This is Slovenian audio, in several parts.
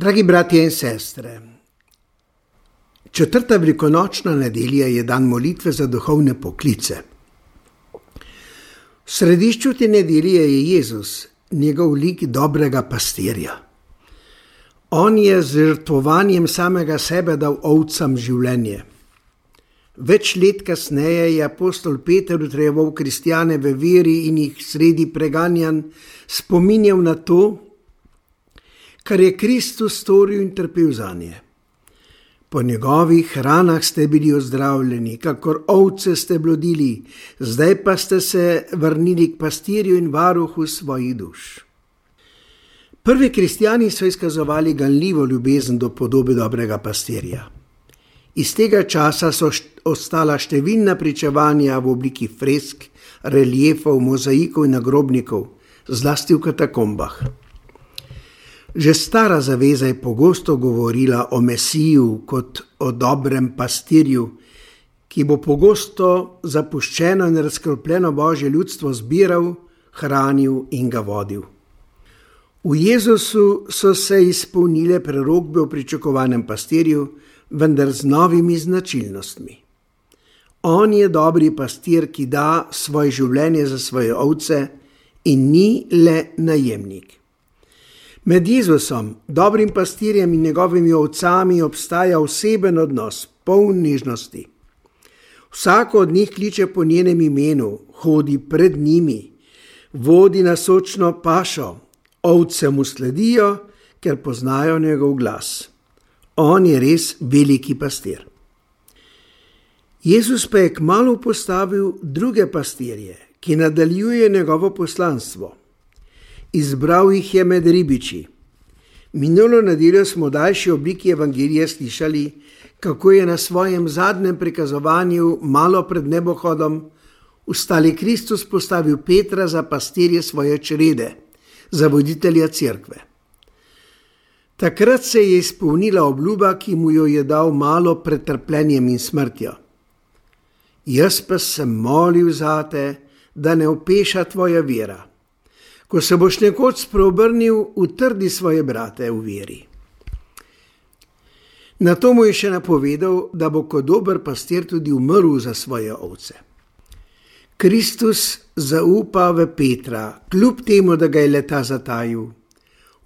Dragi bratje in sestre, četrta velikonočna nedelja je dan molitve za duhovne poklice. V središču te nedelje je Jezus, njegov lik dobrega pastirja. On je z žrtvovanjem samega sebe dal ovcam življenje. Več let kasneje je apostol Peter utrjeval kristjane v veri in jih sredi preganjanj spominjal na to, kar je Kristus storil in trpel zanje. Po njegovih ranah ste bili ozdravljeni, kakor ovce ste blodili, zdaj pa ste se vrnili k pastirju in varuhu svojih duš. Prvi kristjani so izkazovali ganljivo ljubezen do podobe dobrega pastirja. Iz tega časa so ostala številna pričevanja v obliki fresk, reliefov, mozaikov in nagrobnikov, zlasti v katakombah. Že stara zaveza je pogosto govorila o Mesiju kot o dobrem pastirju, ki bo pogosto zapuščeno in razkropljeno Božje ljudstvo zbiral, hranil in ga vodil. V Jezusu so se izpolnile prerokbe o pričakovanem pastirju, vendar z novimi značilnostmi. On je dobri pastir, ki da svoje življenje za svoje ovce in ni le najemnik. Med Jezusom, dobrim pastirjem in njegovimi ovcami obstaja oseben odnos, poln nežnosti. Vsako od njih kliče po njenem imenu, hodi pred njimi, vodi na sočno pašo, ovce mu sledijo, ker poznajo njegov glas. On je res veliki pastir. Jezus pa je kmalu postavil druge pastirje, ki nadaljuje njegovo poslanstvo. Izbral jih je med ribiči. Minulo nedeljo smo v daljši obliki evangelija slišali, kako je na svojem zadnjem prikazovanju malo pred nebohodom ustali Kristus postavil Petra za pastirje svoje črede, za voditelja cerkve. Takrat se je izpolnila obljuba, ki mu jo je dal malo pred trpljenjem in smrtjo. Jaz pa sem molil zate, da ne opeša tvoja vera. Ko se boš nekoč spreobrnil, utrdi svoje brate v veri. Na to mu je še napovedal, da bo kot dober pastir tudi umrl za svoje ovce. Kristus zaupa v Petra, kljub temu, da ga je le ta zatajil.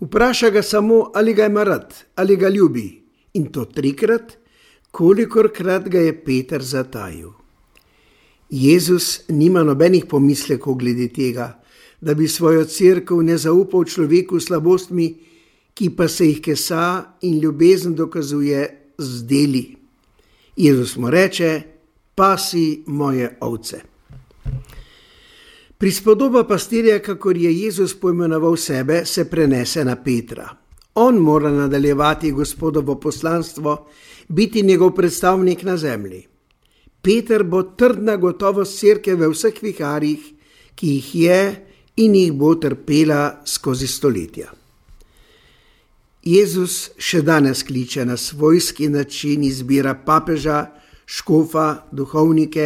Vpraša ga samo, ali ga ima rad, ali ga ljubi, in to 3krat, kolikorkrat ga je Peter zatajil. Jezus nima nobenih pomislekov glede tega, da bi svojo cerkev ne zaupal človeku slabostmi, ki pa se jih kesa in ljubezen dokazuje z deli. Jezus mu reče: pasi moje ovce. Prispodoba pastirja, kakor je Jezus poimenoval sebe, se prenese na Petra. On mora nadaljevati Gospodovo poslanstvo, biti njegov predstavnik na zemlji. Peter bo trdna gotovost cerkve v vseh viharjih, ki jih je in jih bo trpela skozi stoletja. Jezus še danes kliče na svojski način, izbira papeža, škofa, duhovnike,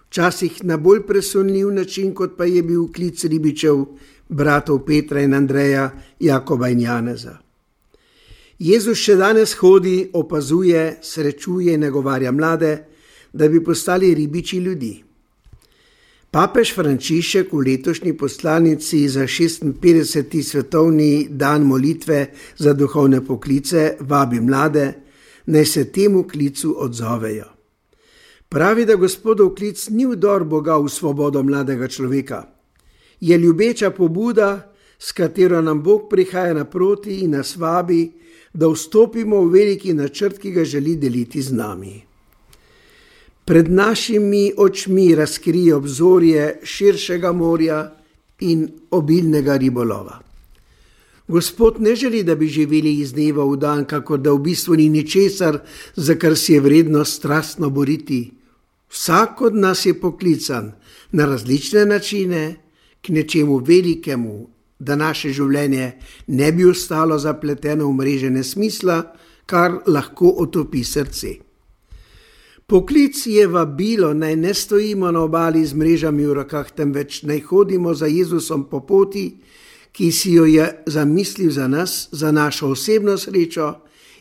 včasih na bolj presunljiv način, kot pa je bil klic ribičev, bratov Petra in Andreja, Jakoba in Janeza. Jezus še danes hodi, opazuje, srečuje in nagovarja mlade, da bi postali ribiči ljudi. Papež Frančišek v letošnji poslanici za 56. svetovni dan molitve za duhovne poklice vabi mlade, naj se temu klicu odzovejo. Pravi, da Gospodov klic ni vdor Boga v svobodo mladega človeka. Je ljubeča pobuda, s katero nam Bog prihaja naproti in nas vabi, da vstopimo v veliki načrt, ki ga želi deliti z nami. Pred našimi očmi razkrije obzorje širšega morja in obilnega ribolova. Gospod ne želi, da bi živeli iz dneva v dan, kakor da v bistvu ni ničesar, za kar si je vredno strastno boriti. Vsak od nas je poklican na različne načine k nečemu velikemu, da naše življenje ne bi ostalo zapleteno v mreže nesmisla, kar lahko otopi srce. Poklic je vabilo, naj ne stojimo na obali z mrežami v rokah, temveč naj hodimo za Jezusom po poti, ki si jo je zamislil za nas, za našo osebno srečo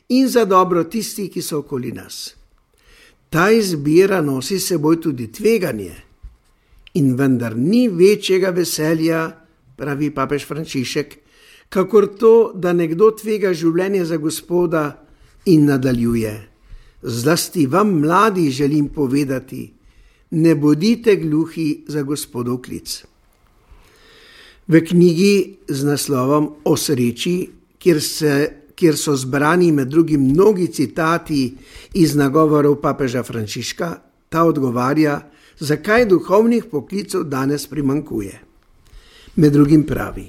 in za dobro tistih, ki so okoli nas. Ta izbira nosi s seboj tudi tveganje in vendar ni večjega veselja, pravi papež Frančišek, kakor to, da nekdo tvega življenje za Gospoda in nadaljuje. Zlasti vam, mladi, želim povedati, ne bodite gluhi za Gospodov klic. V knjigi z naslovom O sreči, kjer so zbrani med drugim mnogi citati iz nagovorov papeža Frančiška, ta odgovarja, zakaj duhovnih poklicev danes primanjkuje. Med drugim pravi: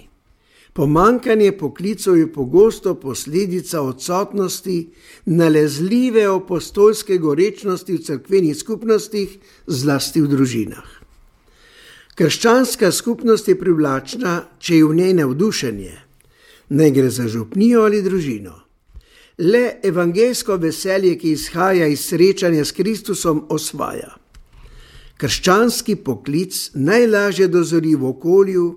pomanjkanje poklicev je pogosto posledica odsotnosti nalezljive apostolske gorečnosti v cerkvenih skupnostih, zlasti v družinah. Krščanska skupnost je privlačna, če je v njej navdušenje, naj gre za župnijo ali družino. Le evangeljsko veselje, ki izhaja iz srečanja s Kristusom, osvaja. Krščanski poklic najlažje dozori v okolju,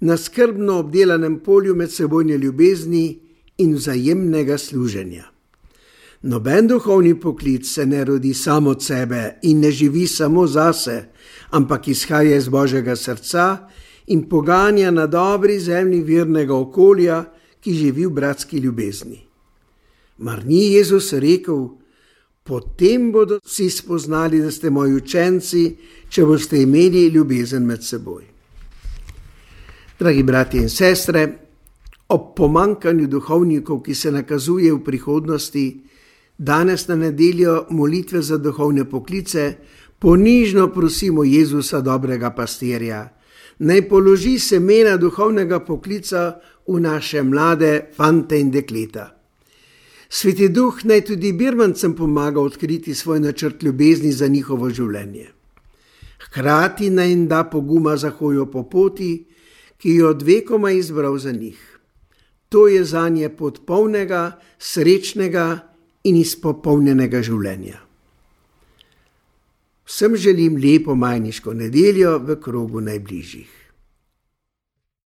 na skrbno obdelanem polju medsebojne ljubezni in vzajemnega služenja. Noben duhovni poklic se ne rodi samo od sebe in ne živi samo zase, ampak izhaja iz Božjega srca in poganja na dobri zemlji virnega okolja, ki živi v bratski ljubezni. Mar ni Jezus rekel: potem bodo vsi spoznali, da ste moji učenci, če boste imeli ljubezen med seboj. Dragi bratje in sestre, ob pomanjkanju duhovnikov, ki se nakazuje v prihodnosti, danes na nedeljo molitve za duhovne poklice ponižno prosimo Jezusa, dobrega pastirja, naj položi semena duhovnega poklica v naše mlade fante in dekleta. Sveti Duh naj tudi birmancem pomaga odkriti svoj načrt ljubezni za njihovo življenje. Hkrati naj jim da poguma za hojo po poti, ki jo od vekoma izbral za njih. To je zanje pot polnega, srečnega in izpopolnjenega življenja. Vsem želim lepo majniško nedeljo v krogu najbližjih.